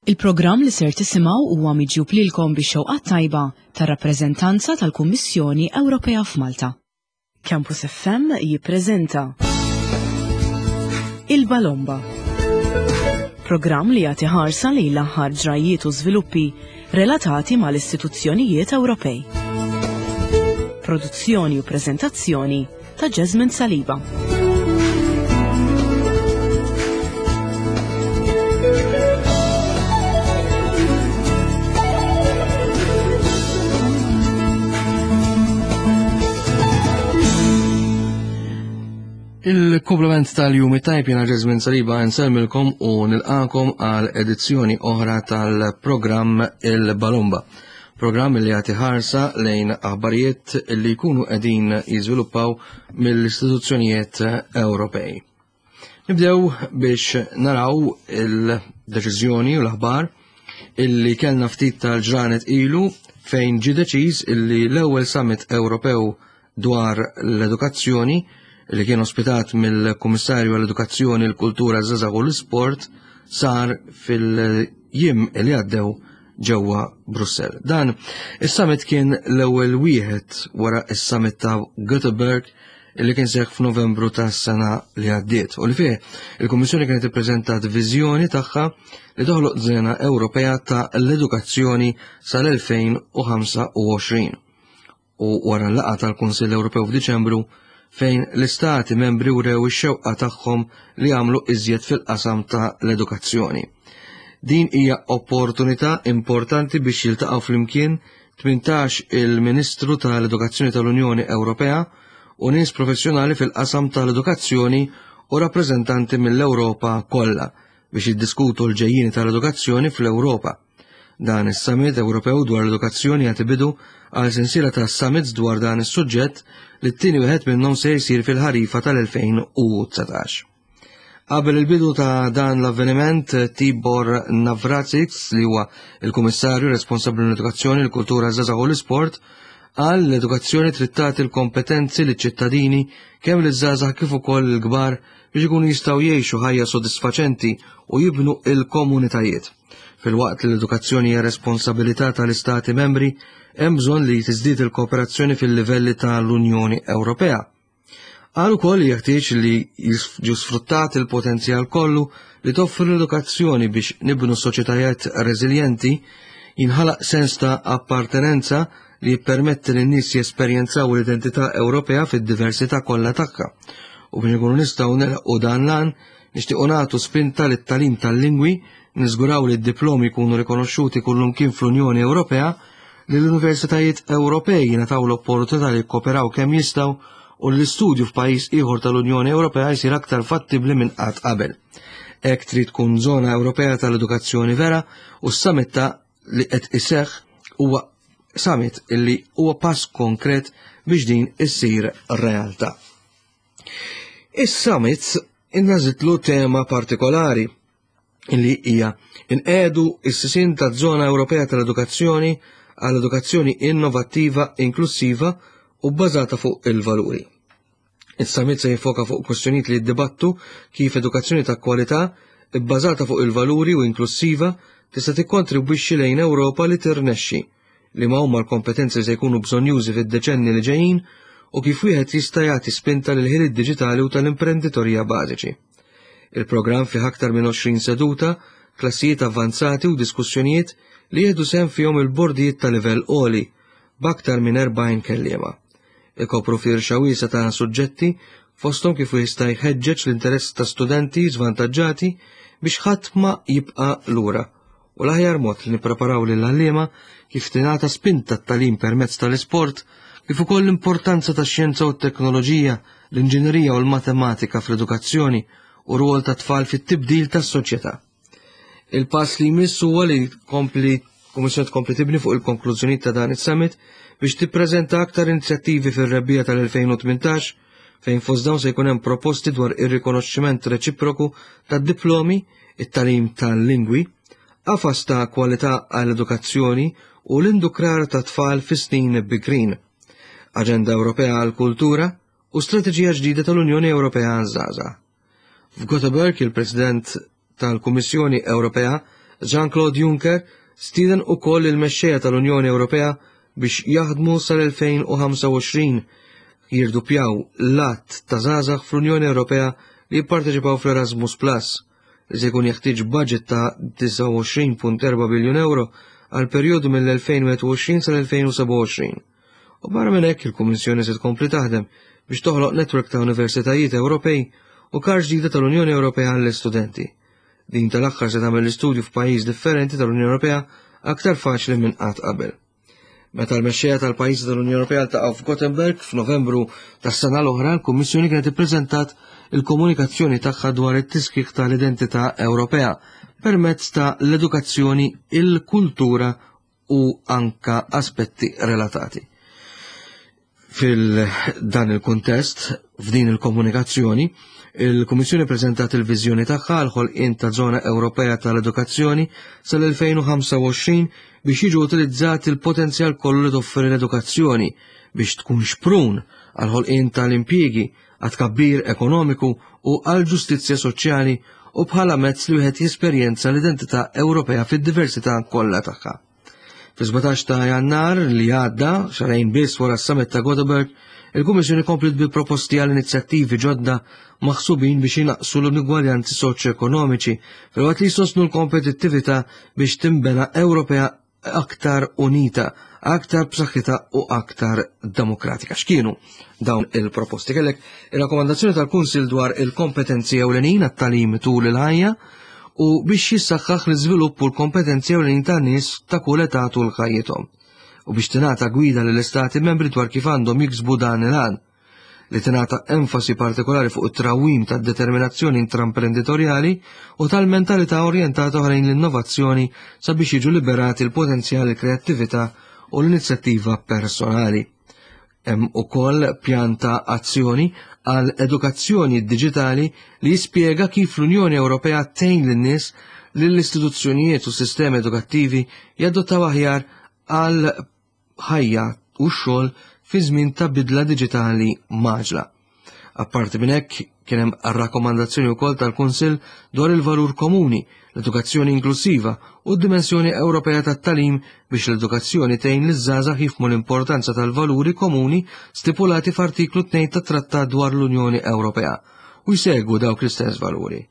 Il-programm li ser tisimgħu huwa miġjub lilkom bix-xewqat tajba tar-rappreżentanza tal-Kummissjoni Ewropea f'Malta. Campus FM jippreżenta Il-Balomba. Programm li jagħti ħarsa lejn l-aħħar ġrajjiet u żviluppi relatati mal-istituzzjonijiet Ewropej. Produzzjoni u preżentazzjoni ta' Jasmine Saliba. Il-komplement tal-jum it-tajb jena Jasmine Saliba nselmilkom u nilqakom għal edizzjoni oħra tal-programm Il-Balumba. Programm li jagħti ħarsa lejn aħbarijiet li jkunu qegħdin jiżviluppaw mill-istituzzjonijiet Ewropej. Nibdew biex naraw il-deċiżjoni u l-aħbar illi kellna ftit tal-ġranet ilu fejn ġie deċiż illi l-ewwel summit Ewropew dwar l-edukazzjoni li kien ospitat mill-Kummissarju għall-Edukazzjoni, l-Kultura, ż-Żgħażagħ u l-Isport sar fil-jiem li għaddew ġewwa Brussell. Dan is-summit kien l-ewwel wieħed wara is-summit ta' Göteborg li kien seħħ f'Novembru tas-sena li għaddiet u li fih il-Kummissjoni kienet ippreżentat viżjoni tagħha li toħloq żena Ewropea ta' l-edukazzjoni sal-2025. u wara l-laqgħa tal-Kunsill Ewropew f'Diċembru fejn l-istati membri wrew ix-xewqa tagħhom li jagħmlu iżjed fil-qasam ta' l-edukazzjoni. Din hija opportunità importanti biex jiltaqgħu flimkien 18 il-Ministru tal-Edukazzjoni tal-Unjoni Ewropea u nies professjonali fil-qasam tal-edukazzjoni u rappreżentanti mill-Ewropa kollha biex jiddiskutu l-ġejjieni tal-edukazzjoni fl-Ewropa. Dan is-Summit Ewropew dwar l-Edukazzjoni jagħti bidu għal sensiela ta' summits dwar dan is-suġġett li t-tieni wieħed minnhom se jsir fil-ħarifa tal-2019. Qabel il-bidu ta' dan l-avveniment, Tibor Navracsics, li huwa il-Kummissarju responsabbli l-Edukazzjoni, l-Kultura, ż-Żgħażagħ u l-Isport, qal l-edukazzjoni trid tagħti l-kompetenzi liċ-ċittadini kemm liż-żgħażagħ kif ukoll il-kbar biex ikunu jistgħu jgħixu ħajja sodisfaċenti u jibnu il-komunitajiet. Filwaqt li l-edukazzjoni hija responsabilità tal-Istati membri, hemm bżonn li tiżdied il-kooperazzjoni fil-livelli tal-Unjoni Ewropea. Qal ukoll li jeħtieġ li jiġu sfruttat il-potenzjal kollu li toffri l-edukazzjoni biex nibnu soċjetajiet reżiljenti, jinħalaq sens ta' appartenenza li jippermetti lin-nies jesperjenzaw l-identità Ewropea fid-diversità kollha tagħha. U biex ikunu nistgħu nilħqu dan l-għan, Nixtiequ nagħtu spinta lit-tagħlim tal-lingwi, niżguraw li d-diplomi jkunu rikonoxxuti kullumkien fl-Unjoni Ewropea, li l-universitajiet Ewropej jingħataw l-opportunità li jikkooperaw kemm jistgħu u li l-istudju f'pajjiż ieħor tal-Unjoni Ewropea jsir aktar fattibbli minn qatt qabel. Hekk trid tkun żona Ewropea tal-edukazzjoni vera u s-summit ta' li qed iseħħ huwa summit illi huwa pass konkret biex din issir realtà. Is-summit innażitlu tema partikolari li hija inqedu is-sisin ta' żona Ewropea tal-Edukazzjoni għal edukazzjoni innovattiva, inklusiva u bbażata fuq il-valuri. Is-summit se jiffoka fuq kwestjonijiet li jiddibattu kif edukazzjoni ta' kwalità bbażata fuq il-valuri u inklusiva tista' tikkontribwixxi lejn Ewropa li tirnexxi liema huma l-kompetenzi li se jkunu bżonnjużi fid-deċenni li ġejjin u kif wieħed jista' jagħti spinta lil ħiliet diġitali u tal-imprenditorija bażiċi. Il-programm fih aktar minn 20 seduta, klassijiet avvanzati u diskussjonijiet li jieħdu sehem fihom il-bordijiet ta' livell għoli b'aktar minn 40 kelliema. Ikopru firxa wiesgħa ta' suġġetti fosthom kif jista' jħeġġeġ l-interess ta' studenti żvantaġġati biex ħadd ma jibqa' lura u l-aħjar mod li nippreparaw lill-għalliema kif tingħata spinta t-tagħlim permezz tal-isport, kif ukoll l-importanza tax-xjenza u t-teknoloġija, l-inġinerija u l-matematika fl-edukazzjoni u rwol tat-tfal fit-tibdil tas-soċjetà. Il-pass li jmiss huwa li tkompli Kummissjoni tkompli tibni fuq il-konklużjonijiet ta' dan is-summit biex tippreżenta aktar inizjattivi fir-rebbiegħa tal-2018 fejn fost dawn se jkun hemm proposti dwar ir-rikonoxximent reċiproku tad-diplomi, it-tagħlim tal-lingwi, qafas ta' kwalità għall-edukazzjoni u l-indukrar ta' tfal fi snin bikrin, Aġenda Ewropea għall-Kultura u Strateġija ġdida tal-Unjoni Ewropea għaż-Żgħażagħ. F'Gothenburg il-President tal-Kummissjoni Ewropea. Jean-Claude Juncker stieden ukoll il-mexxejja tal-Unjoni Ewropea biex jaħdmu sal-2025 jirduppjaw l-għadd ta' żgħażagħ fl-Unjoni Ewropea li jipparteċipaw fl-Erasmus Plus, li se jkun jeħtieġ budget ta' 29.4 biljun euro għal perjodu mill-2021 sal-2027. U barra minn hekk il-Kummissjoni se tkompli taħdem biex toħloq netwerk ta' universitajiet Ewropej u kar ġdida tal-Unjoni Ewropea għall-istudenti. Din tal-aħħar se tagħmel l-istudju f'pajjiż differenti tal-Unjoni Ewropea aktar faċli minn qatt qabel. Meta l-mexxejja tal-pajjiżi tal-Unjoni Ewropea ltaqgħu f'Gothenburg f'Novembru tas-sena l-oħra, l-Kummissjoni kienet ippreżentat il-komunikazzjoni tagħha dwar it-tiskik tal-identità Ewropea permezz ta' l-edukazzjoni, il-kultura u anka aspetti relatati. Fil-dan il-kuntest, f'din il-komunikazzjoni, il-Kummissjoni preżentat il-viżjoni tagħha għal ħolqien ta' żona Ewropea tal-Edukazzjoni sal-2025 biex jiġu utilizzati l-potenzjal kollu li toffri l-edukazzjoni biex tkun xprun għal ħolqien tal-impjiegi, għat-tkabbir ekonomiku u għall-ġustizzja soċjali u bħala mezz li wieħed jesperjenza l-identità Ewropea fid-diversità kollha tagħha. Fi-17 ta' Jannar li għadda, xarajn biss wara s-summit ta' Gothenburg, il-Kummissjoni kompliet bi proposti għal inizjattivi ġodda maħsubin biex jinaqsu l-inugwaljanzi soċjoekonomiċi filwaqt li jsostnu l-kompetittività biex tinbena Ewropea aktar unita, aktar b'saħħitha u aktar demokratika. X'kienu dawn il-proposti? Kellek ir-rakkomandazzjoni tal-Kunsil dwar il-kompetenzi ewlenin għat-tagħlim tul il-ħajja u biex jissaħħaħ l-iżvilupp u l-kompetenzi ewlenin tan-nies ta' kull età tul ħajjithom u biex tingħata gwida lill-istati membri dwar kif għandhom jiksbu dan il-għan li tingħata enfasi partikolari fuq it-trawwim tad-determinazzjoni intramprenditorjali u tal-mentalità orjentata lejn l-innovazzjoni sabiex jiġu liberati l-potenzjal, il-kreattività u l-inizjattiva personali. Hemm ukoll pjan ta' azzjoni għal edukazzjoni diġitali li jispjega kif l-Unjoni Ewropea tgħin lin-nies lill-istituzzjonijiet u sistemi edukattivi jadottaw aħjar għal ħajja u x-xogħol fi żmien ta' bidla diġitali mgħaġġla. Apparti minn hekk, kien hemm rakkomandazzjoni wkoll tal-Kunsill dwar il-valur komuni, l-edukazzjoni inklusiva u d-dimensjoni Ewropea tat-tagħlim biex l-edukazzjoni tgħin liż-żgħażagħ jifhmu l-importanza tal-valuri komuni stipulati f'Artiklu 2 tat-Trattat dwar l-Unjoni Ewropea u jsegwu dawk l-istess valuri.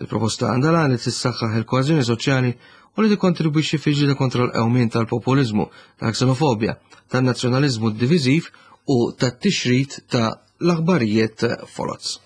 Il-proposta għandha l-għan li tissaħħaħ il-koeżjoni soċjali u li tikkontribwixxi fil-ġlieda kontra l-qewmien tal-populiżmu, tal-ksenofobja, tan-nazzjonaliżmu diviżiv u tat-tixrid ta' l-aħbarijiet foloz.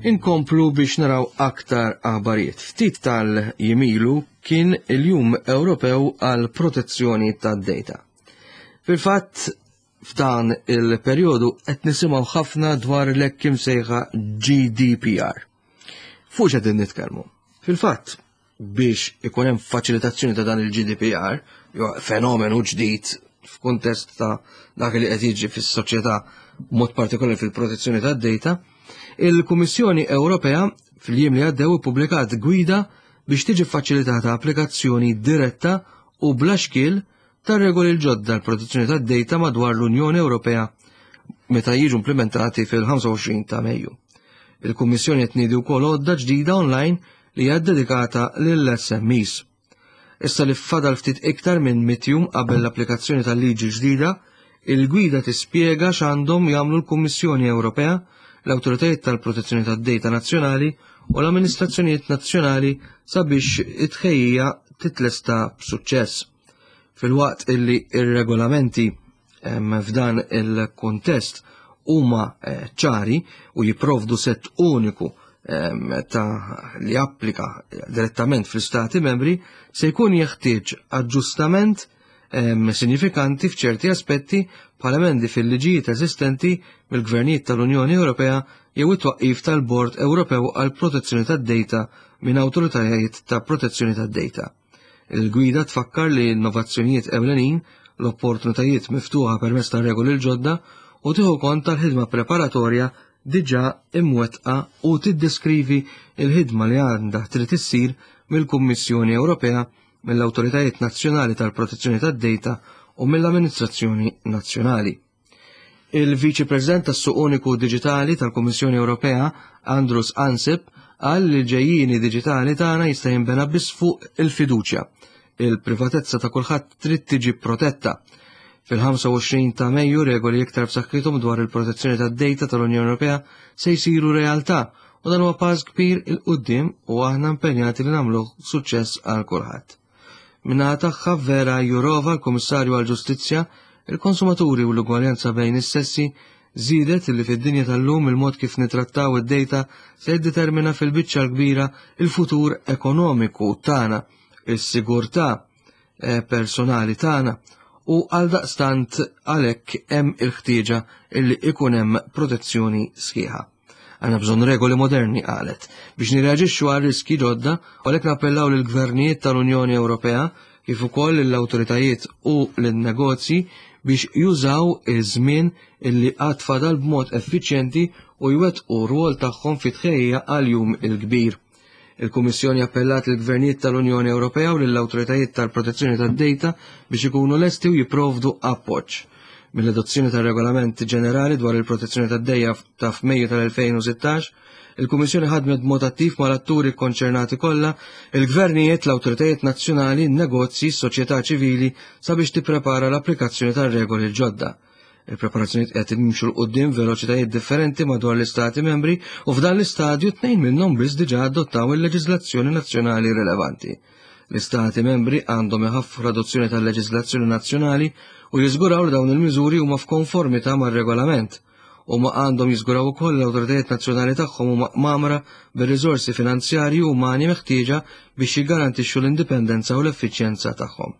Inkomplu biex naraw aktar aħbarijiet. Ftit tal-jimilu kien il-Jum Ewropew għal Protezzjoni tad-Data. Fil-fatt, F'dan il-perjodu qed nisimgħu ħafna dwar l-hekk imsejħa GDPR. Fuq x'qegħdin nitkellmu? Fil-fatt, biex ikun hemm faċilitazzjoni ta' dan il-GDPR, jew fenomenu ġdid f'kuntest ta' dak li qed jiġi fis-soċjetà mod partikolari fil-protezzjoni tad-data, il-Kummissjoni Ewropea fil-jiem li għaddew ippubblikat gwida biex tiġi faċilitata applikazzjoni diretta u bla xkiel tar-regoli l-ġodda għall-protezzjoni tad-dejta madwar l-Unjoni Ewropea meta jiġu implimentati fil-25 ta' Mejju. Il-Kummissjoni qed tniedi wkoll għodda ġdida online li hija ddedikata lill-SMEs. Issa li fadal ftit iktar minn mitjum qabel l-applikazzjoni tal-liġi ġdida, il-gwida tispjega x'għandhom jagħmlu l-Kummissjoni Ewropea, l-awtoritajiet tal-protezzjoni tad-dejta nazzjonali u l-amministrazzjonijiet nazzjonali sabiex it-tħejjija titlesta b'suċċess. Filwaqt illi ir-regolamenti f'dan il-kuntest huma eh, ċari u jipprovdu sett uniku ta' li applika direttament fl-istati membri se jkun jeħtieġ aġġustament sinifikanti f'ċerti aspetti bħal emendi fil-liġijiet eżistenti mill-gvernijiet tal-Unjoni Ewropea jew it-twaqqif tal-Bord Ewropew għall-Protezzjoni tad-Data minn awtoritajiet ta' protezzjoni tad-data. Il-gwida tfakkar li innovazzjonijiet ewlenin, l-opportunitajiet miftuħa permezz ta' regoli l-ġodda u tieħu kont tal-ħidma preparatorja diġà imwettqa u tiddeskrivi l-ħidma li għandha trid issir mill-Kummissjoni Ewropea, mill-awtoritajiet nazzjonali tal-protezzjoni tad-data u mill-amministrazzjoni nazzjonali. Il-Viċi President tas-Suq Uniku Diġitali tal-Kummissjoni Ewropea, Andrus Ansip, qal li l-ġejjieni diġitali tagħna jista' jinbena biss fuq il-fiduċja. Il-privatezza ta' kulħadd trid tiġi protetta. Fil-25 ta' Mejju regoli iktar b'saħħithom dwar il-protezzjoni tad-data tal-Unjoni Ewropea se jsiru realtà u dan huwa pass kbir 'il quddiem u aħna impenjati li nagħmluh suċċess għal kulħadd. Min-naħa tagħha Vera Jourova, l-Kummissarju għall-Ġustizzja, il-Konsumaturi u l-Ugwaljanza bejn is-Sessi, żiedet li fid-dinja tal-lum il-mod kif nitrattaw id-data se jiddetermina fil-biċċa l-kbira il-futur ekonomiku tagħna, is-sigurtà eh, personali tagħna u għaldaqstant għalhekk hemm il-ħtieġa illi ikun hemm protezzjoni sħiħa. Għandna bżonn regoli moderni qalet biex nirreaġixxu għal riski ġodda u għalhekk nappellaw lill-gvernijiet tal-Unjoni Ewropea kif ukoll lill-awtoritajiet u lin-negozji biex jużaw iż-żmien illi għad fadal b'mod effiċjenti u jwettqu rwol tagħhom fit-tħejjija għal jum il-kbir. Il-Kummissjoni appellat lill-gvernijiet tal-Unjoni Ewropea u lill-awtoritajiet tal-protezzjoni tad-data biex ikunu lesti u jipprovdu appoġġ. Mill-adozzjoni tar-Regolament Ġenerali dwar il-Protezzjoni tad-Dejja ta' f'Mejju tal-2016, il-Kummissjoni ħadmet b'mod attiv mal-atturi kkonċernati kollha, il-gvernijiet, l-awtoritajiet nazzjonali, in-negozji, s-soċjetà ċivili sabiex tipprepara l-applikazzjoni tar-regoli l-ġodda. Il-preparazzjonijiet qed jimxu 'l quddiem veloċitajiet differenti madwar l-Istati membri u f'dan l-istadju tnejn minnhom biss diġà adottaw il-leġiżlazzjoni nazzjonali rilevanti. L-Istati membri għandhom iħaffu l-adozzjoni tal-leġiżlazzjoni nazzjonali u jiżguraw li dawn il-miżuri huma f'konformità mar-regolament. Huma għandhom jiżguraw ukoll li l-awtoritajiet nazzjonali tagħhom huma mgħammra bir-riżorsi finanzjarji u umani meħtieġa biex jiggarantixxu l-indipendenza u l-effiċjenza tagħhom.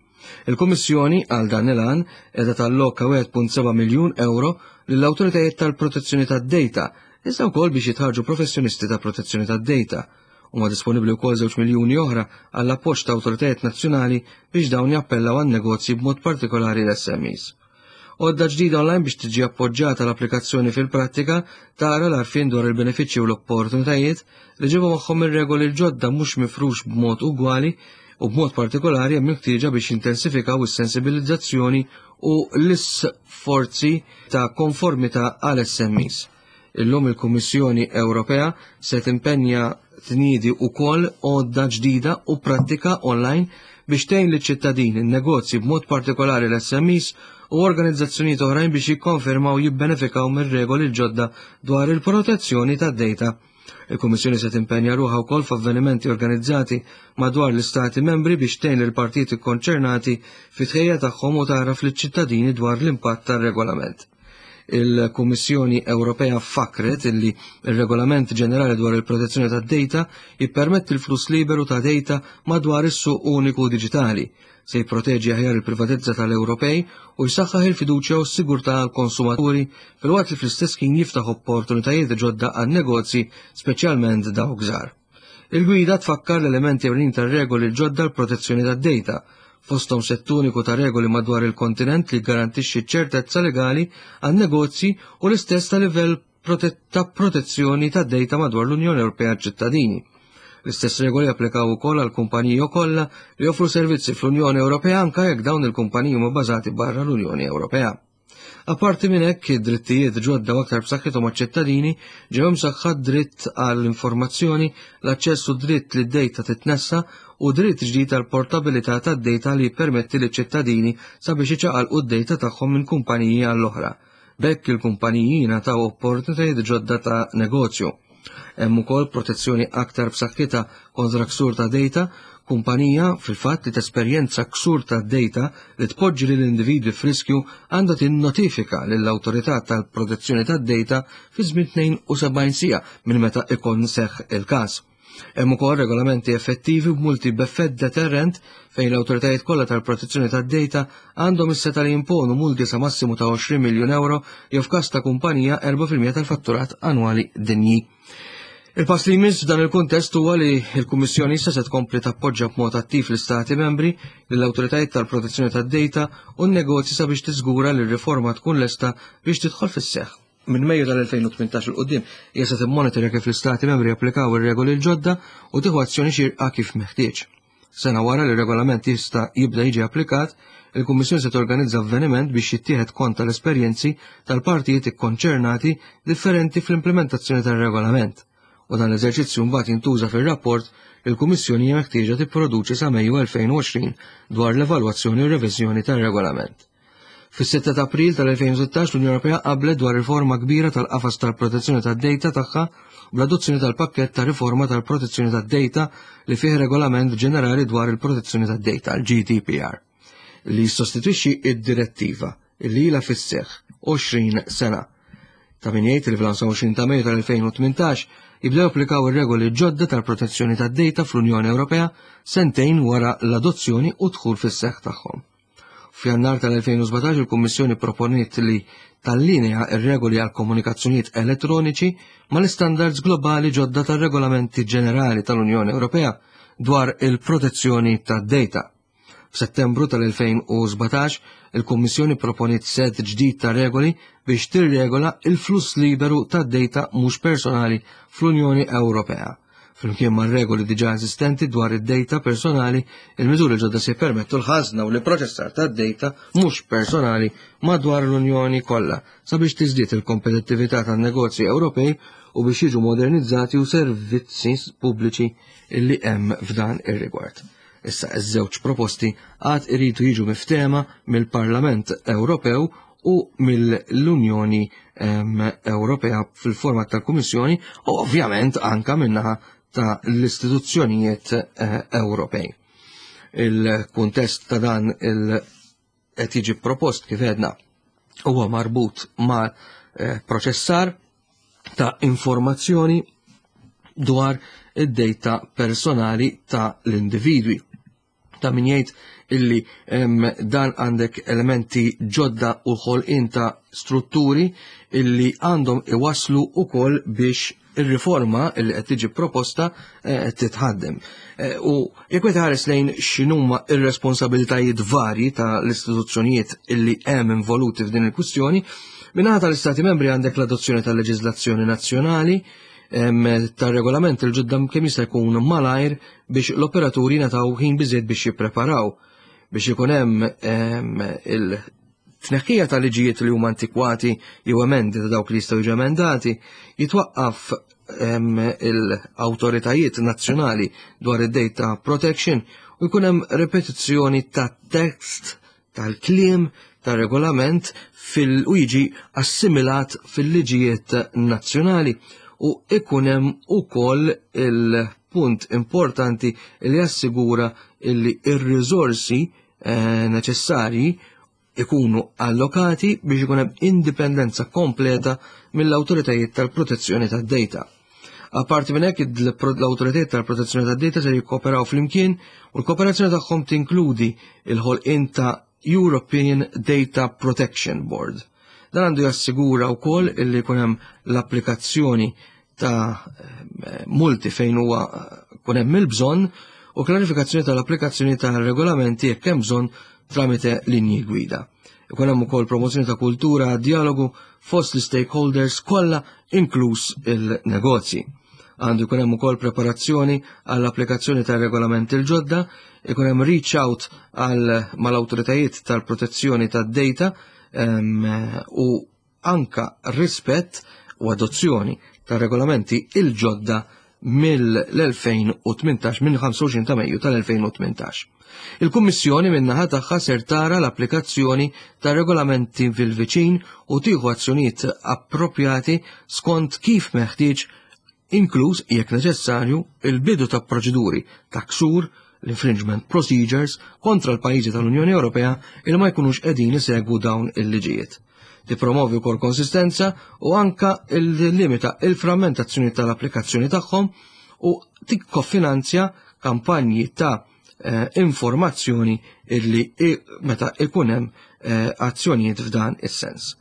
Il-Kummissjoni għal dan il-għan qiegħda talloka 1.7 miljun euro lill-awtoritajiet tal-protezzjoni tad-data, iżda wkoll biex jitħarġu professjonisti ta' protezzjoni tad-data. Huma disponibbli wkoll 2 miljuni oħra għall-appoġġ ta' awtoritajiet nazzjonali biex dawn jappellaw għan-negozji b'mod partikolari l-SMEs. Għodda ġdida online biex tiġi appoġġata l-applikazzjoni fil-prattika tara l-għarfien dwar il-benefiċċji u l-opportunitajiet li ġibu magħhom ir-regoli l-ġodda mhux mifrux b'mod ugwali u b'mod partikolari hemm il-ħtieġa biex jintensifikaw is-sensibilizzazzjoni u l-isforzi ta' konformità għal SMEs. Illum il-Kummissjoni Ewropea se timpenja tniedi wkoll għodda ġdida u prattika online biex tgħin liċ-ċittadini, in-negozji b'mod partikolari l-SMEs u organizzazzjonijiet oħrajn biex jikkonfermaw jibbenefikaw mir-regoli l-ġodda dwar il-protezzjoni tad-data. Il-Kummissjoni se timpenja ruħha wkoll f'avvenimenti organizzati madwar l-Istati membri biex tgħin lill-partijiet ikkonċernati fit-tħejja tagħhom u tagħraf liċ-ċittadini dwar l-impatt tar-regolament. Il-Kummissjoni Ewropea fakkret illi ir-Regolament Ġenerali dwar il-Protezzjoni tad-Data jippermetti l-fluss liberu ta' data madwar is-suq uniku diġitali, se jipproteġi aħjar il-privatezza tal-Ewropej u jsaħħaħ il-fiduċja u s-sigurtà għall-konsumaturi filwaqt li fl-istess ħin jiftaħ opportunitajiet ġodda għan-negozji, speċjalment dawk żgħar. Il-gwida tfakkar l-elementi ewlenin tar-regoli l-ġodda l-protezzjoni tad-data, fosthom sett uniku ta' regoli madwar il-kontinent li jgarantixxi ċ-ċertezza legali għan-negozji u l-istess ta' livell ta' protezzjoni tad-data madwar l-Unjoni Ewropea ċittadini. L-istess regoli applikaw ukoll għal kumpaniji kollha li joffru servizzi fl-Unjoni Ewropea anke jekk dawn il-kumpaniji huma bbażati barra l-Unjoni Ewropea. Apparti minn hekk, id-drittijiet ġodda u aktar b'saħħithom għaċ-ċittadini ġew imsaħħa dritt għall-informazzjoni, l-aċċess u dritt li d-dejta titnessa u dritt ġdid għal portabilità tad-dejta li jippermetti liċ-ċittadini sabiex iċaqalqu d-dejta tagħhom minn kumpaniji għall-oħra. B'hekk il-kumpaniji jingħataw opportunitajiet ġodda ta' negozju. Hemm ukoll protezzjoni aktar b'saħħitha kontra ksur ta' data, kumpanija fil-fatt li tesperjenza ksur ta' data li tpoġġi lil individwi f'riskju għandha tinnotifika lill-awtorità tal-protezzjoni tad-data fi żmien 72 siegħa minn meta ikun seħħ il-każ. Hemm ukoll regolamenti effettivi b'multi b'effett deterrent fejn l-awtoritajiet kollha tal-protezzjoni tad-data għandhom is-setgħa li jimponu multi sa massimu ta' 20 miljun euro jew f'każ ta' kumpanija 4% tal-fatturat annwali dinji. Il-pass li jmiss f'dan il-kuntest huwa li l-Kummissjoni issa se tkompli tappoġġa b'mod attiv l-Istati membri, lill-awtoritajiet tal-protezzjoni tad-data u n-negozji sabiex tiżgura li r-riforma tkun lesta biex tidħol fis-seħħ. Minn Mejju tal-2018 'il quddiem hija se timmonitorja kif l-Istati membri japplikaw ir-regoli l-ġodda u tieħu azzjoni xierqa kif meħtieġ. Sena wara li r-regolament jista' jibda jiġi applikat, il-Kummissjoni se torganizza avveniment biex jittieħed kont tal-esperjenzi tal-partijiet ikkonċernati differenti fl-implementazzjoni tar-regolament, u dan l-eżerċizzju mbagħad jintuża fir-rapport li l-Kummissjoni hija meħtieġa tipproduċi sa Mejju 2020 dwar l-evalwazzjoni u r-reviżjoni tar-regolament. Fis-6 ta' April tal-2016 l-Unjoni Ewropea qablet dwar riforma kbira tal-qafas tal-protezzjoni tad-data tagħha bl-adozzjoni tal-pakkett ta' riforma tal-protezzjoni tad-data li fih regolament ġenerali dwar il-protezzjoni tad-data, l-GDPR, li jissostitwixxi id-direttiva li ilha fis-seħħ 20 sena. Ta' min jgħid li fl-25 ta' Mejju tal-2018 jibdew applikaw ir-regoli ġodda tal-protezzjoni tad-data fl-Unjoni Ewropea sentejn wara l-adozzjoni u dħul fis-seħħ tagħhom. F'Jannar tal-2017 il-Kummissjoni proponiet li tallinea r-regoli għal komunikazzjonijiet elettroniċi mal-istandards globali ġodda tar-regolamenti ġenerali tal-Unjoni Ewropea dwar il-protezzjoni tad-data. F'Settembru tal-2017, il-Kummissjoni proponiet set ġdid ta' regoli biex tirregola il-fluss liberu tad-data mhux personali fl-Unjoni Ewropea. Flimkien ma' regoli diġà eżistenti dwar id-data personali, il-miżuri ġodda se jippermettu l-ħażna u l-ipproċessar tad-data mhux personali madwar l-Unjoni kollha sabiex tiżdied il-kompetittività tan-negozji Ewropej u biex jiġu modernizzati u servizzi pubbliċi li hemm f'dan ir-rigward. Issa iż-żewġ proposti għad iridu jiġu miftehma mill-Parlament Ewropew u mill-Unjoni Ewropea fil-format tal-Kummissjoni u ovvjament anka minnaħa ta' l-istituzzjonijiet eh, Ewropej. Il-kuntest ta' dan il qed jiġi propost kif għedna huwa marbut ma' eh, proċessar ta' informazzjoni dwar id-data personali ta' l-individwi. Ta' min jgħid illi dan għandek elementi ġodda u ħolqien ta' strutturi illi għandhom iwaslu ukoll biex ir-riforma illi qed tiġi proposta eh, titħaddem. Eh, u jekk wieħed ħares lejn x'inhuma ir-responsabilitajiet varji ta' l-istituzzjonijiet illi hemm involuti f'din il-kwistjoni, minnaħa tal-Istati membri għandek l-adozzjoni tal-leġiżlazzjoni nazzjonali, tar-regolament il-ġodda kemm jista' jkun malajr biex l-operaturi jingħataw ħin biżejjed biex jippreparaw biex ikun hemm il-tneħħija ta' liġijiet li huma antikwati jew emendi ta' dawk li jistgħu jiġu emendati, jitwaqqaf l-awtoritajiet nazzjonali dwar id-data protection u jkun hemm repetizzjoni ta' tekst tal-kliem tar-regolament fil u jiġi assimilat fil-liġijiet nazzjonali u ikun hemm ukoll il-punt importanti li jassigura li ir-riżorsi eh, neċessarji ikunu allokati biex ikun hemm indipendenza kompleta mill-awtoritajiet tal-protezzjoni tad-data. Apparti minn hekk l-awtoritajiet tal-protezzjoni tad-data se jikkooperaw flimkien u l-kooperazzjoni tagħhom tinkludi l-ħolqien ta' European Data Protection Board. Dan għandu jassigura wkoll illi jkun hemm l-applikazzjoni ta' eh, multi fejn huwa kun hemm il-bżonn u klarifikazzjoni tal-applikazzjoni ta' regolamenti jekk hemm bżonn tramite linji gwida. Ikun hemm ukoll promozzjoni ta' kultura, dialogu fost l-stakeholders kollha inkluż il-negozji. Għandu jkun hemm ukoll preparazzjoni għall-applikazzjoni tar regolament il-ġodda, ikun hemm reach out għal mal-awtoritajiet tal-protezzjoni tad-data u anka rispett u adozzjoni tar regolamenti il-ġodda mill-2018 minn 25 ta' Mejju tal-2018. Il-Kummissjoni min-naħa tagħha ser tara l-applikazzjoni ta' regolamenti fil-viċin u tieħu azzjonijiet approprjati skont kif meħtieġ inkluż, jekk neċessarju, il-bidu ta' proċeduri ta' ksur, l-infringement procedures, kontra l-pajjiżi tal-Unjoni Ewropea il ma jkunux qegħdin isegwu dawn il-liġijiet. Tippromovi wkoll konsistenza u anka limita il-frammentazzjoni tal-applikazzjoni tagħhom u tikkofinanzja kampanji ta' eh, informazzjoni illi meta ikun hemm eh, azzjonijiet f'dan is-sens.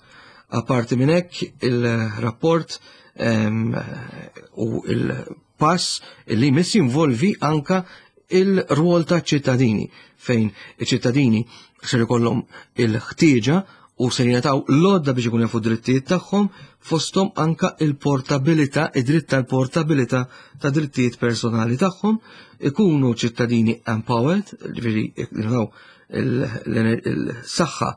Apparti minn hekk il-rapport U il-pass li jmiss jinvolvi anka il-rwol ta' ċittadini fejn iċ-ċittadini ser ikollhom il-ħtieġa u ser jingħataw l-għodda biex ikun jafu drittijiet tagħhom fosthom anka il-portabilità, id-dritt tal-portabilità ta' drittijiet personali tagħhom, ikunu ċittadini empowered, ġifieri jingħataw il-saħħa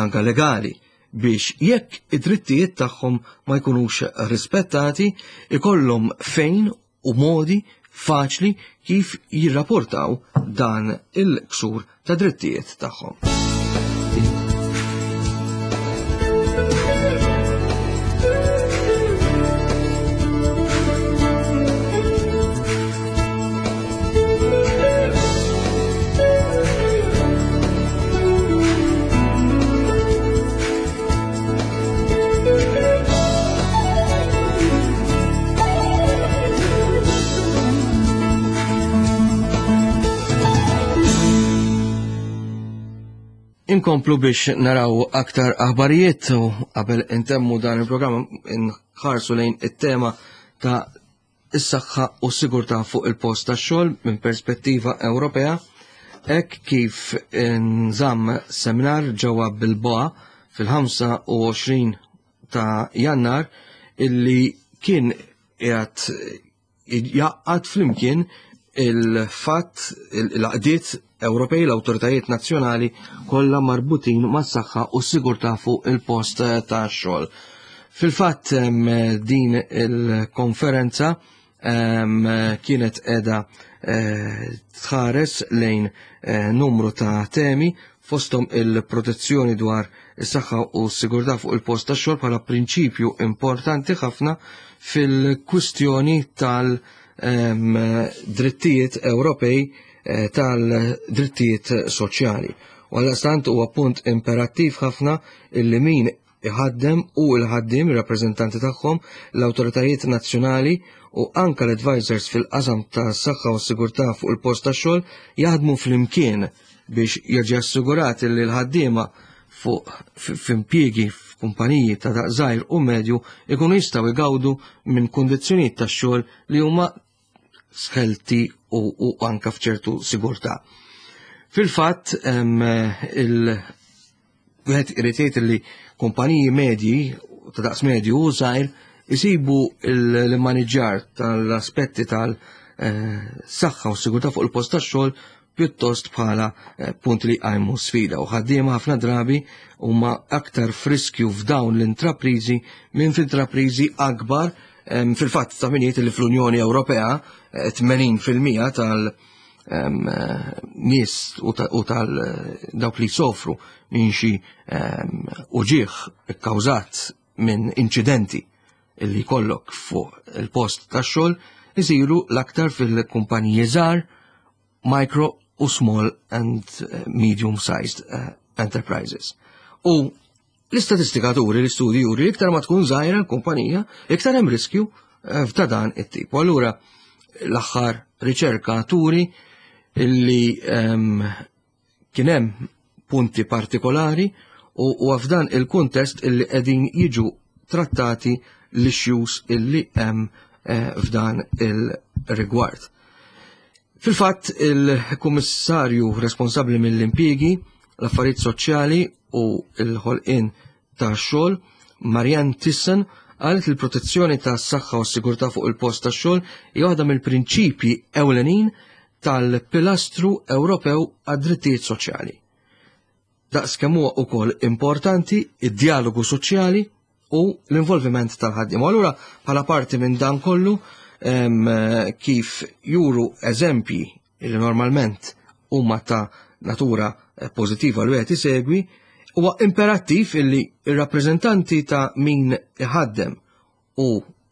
anka legali biex jekk id-drittijiet tagħhom ma jkunux rispettati, ikollhom fejn u modi faċli kif jirrapportaw dan il-ksur ta' drittijiet tagħhom. Inkomplu biex naraw aktar aħbarijiet u qabel intemmu dan il-programm inħarsu lejn it-tema ta' is-saħħa u s-sigurtà fuq il-post tax-xogħol minn perspettiva Ewropea, hekk kif nżamm seminar ġewwa Bilboa fil-25 ta' Jannar illi kien qiegħed jgħaqqad flimkien il-fatt l-għaqdiet Ewropej, l-awtoritajiet nazzjonali kollha marbutin mas-saħħa u s-sigurtà fuq il-post tax-xogħol. Fil-fatt din il-konferenza kienet qiegħda eh, tħares lejn eh, numru ta' temi fosthom il-protezzjoni dwar is-saħħa u s-sigurtà fuq il-post tax-xogħol bħala prinċipju importanti ħafna fil-kwistjoni tal- drittijiet Ewropej eh, tal-drittijiet soċjali. U għal-stant huwa punt imperattiv ħafna illi min iħaddem u l-ħaddiem, ir-rappreżentanti tagħhom, l-awtoritajiet nazzjonali u anka l-advisors fil-qasam ta' saħħa u sigurtà fuq il-post tax-xogħol jaħdmu flimkien biex jiġi assigurat li l-ħaddiema fuq f'impjiegi f'kumpaniji ta' daqs żgħir u medju ikunu jistgħu jgawdu minn kundizzjonijiet tax-xogħol li huma sħelti u, u anka f'ċertu sigurtà. Fil-fatt il wieħed irid jgħid li kumpaniji medji ta' daqs medju u żgħir isibu l-immaniġġar tal-aspetti tal-saħħa u sigurtà fuq il-post tax-xogħol pjuttost bħala eh, punt li għajmu sfida u ħaddiema ħafna drabi huma aktar friskju f'dawn l-intraprizi minn f'intraprizi akbar fil-fatt ta' min li fl-Unjoni Ewropea 80% eh, tal- eh, nies u tal dawk li sofru minn xi uġieħ ikkawżat minn inċidenti illi jkollok fuq il-post tax-xogħol isiru l-aktar fil-kumpaniji żgħar micro u small and eh, medium sized eh, enterprises. U l-istatistika turi, l-istudji juri, iktar ma tkun żgħira l-kumpanija, iktar hemm riskju eh, ta' dan it-tip. U allura l-aħħar riċerka turi illi ehm, Kien hemm punti partikolari u huwa f'dan il-kuntest illi qegħdin jiġu trattati l-issues illi hemm eh, f'dan il-rigward. Fil-fatt, il-kummissarju responsabbli mill-impjiegi, l-affarijiet soċjali u l-ħolqien ta' xogħol, Marianne Thyssen, qalet li l-protezzjoni tas-saħħa u s-sigurtà fuq il-post tax-xogħol hija waħda mill-prinċipji ewlenin tal-Pilastru Ewropew għad-Drittijiet Soċjali. Daqs kemm huwa wkoll importanti id-dialogu soċjali u l-involviment tal-ħaddiem. U allura bħala parti minn dan kollu kif juru eżempji li normalment huma ta' natura eh, pożittiva li wieħed isegwi, huwa imperattiv illi ir-rappreżentanti ta' min iħaddem u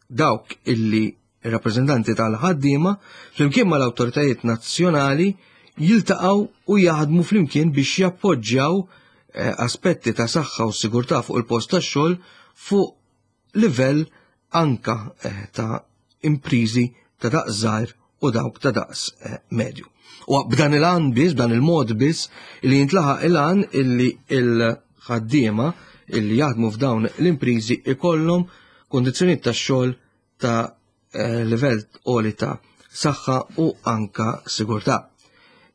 dawk illi ir-rappreżentanti tal-ħaddiema flimkien mal-awtoritajiet nazzjonali jiltaqgħu u jaħdmu flimkien biex jappoġġjaw eh, aspetti ta' saħħa u sigurtà fuq il-post tax-xogħol fuq livell anka eh, ta' imprizi ta' daqs żgħir u dawk ta' daqs eh, medju. U b'dan il-għan biss, b'dan il-mod biss, li jintlaħaq il-għan illi il-ħaddiema illi jaħdmu f'dawn l-imprizi ikollhom kondizzjonijiet tax-xogħol ta' eh, livell għoli ta' saħħa u anka sigurtà.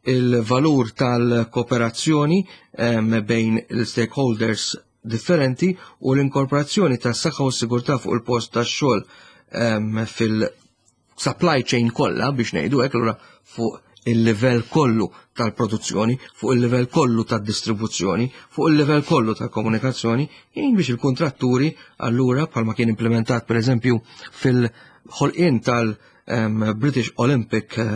Il-valur tal-kooperazzjoni bejn il-stakeholders differenti u l-inkorporazzjoni tas saħħa u sigurtà fuq il-post tax-xogħol fil-supply chain kollha biex ngħidu hekk allura fuq il-livell kollu tal-produzzjoni, fuq il-livell kollu tad-distribuzzjoni, fuq il-livell kollu tal-komunikazzjoni, jgħin biex il-kontratturi allura bħalma kien implementat per eżempju fil-ħolqien tal-British Olympic eh,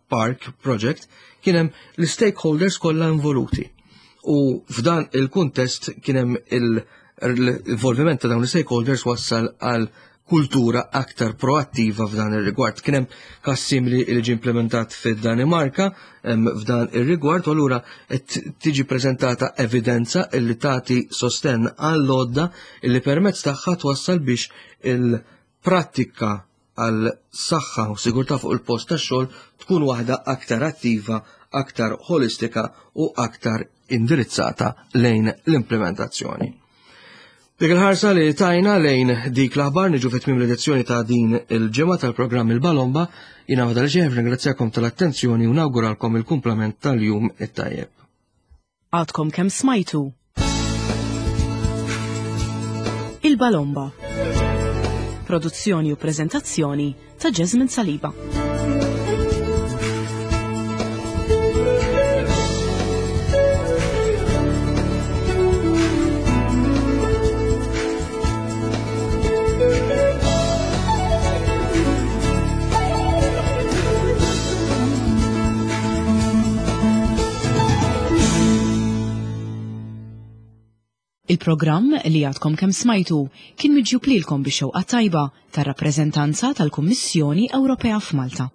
Park Project, kien hemm l-stakeholders kollha involuti. U f'dan il-kuntest kien hemm l-involviment ta' dawn l-stakeholders wassal għal kultura aktar proattiva f'dan ir-rigward. Kien hemm każ simili li ġie implementat fid-Danimarka f'dan ir-rigward u allura qed tiġi preżentata evidenza li tagħti sostenn għall-għodda li permezz tagħha twassal biex il-prattika għal saħħa u sigurtà fuq il-post tax-xogħol tkun waħda aktar attiva, aktar holistika u aktar indirizzata lejn l-implementazzjoni. Dik il-ħarsa li tajna lejn dik l-aħbar niġu fit tmiem l-edizzjoni ta' din il-ġimgħa tal-programm Il-Balomba, jiena għadha ġeħ ringrazzjakom tal-attenzjoni u nawguralkom il-kumplament tal-jum it-tajjeb. Għadkom kemm smajtu Il-Balomba. Produzzjoni u preżentazzjoni ta' Jasmine Saliba. Il-programm li għadkom kemm smajtu kien miġjub lilkom bix-xewqa tajba tar-rappreżentanza tal-Kummissjoni Ewropea f'Malta.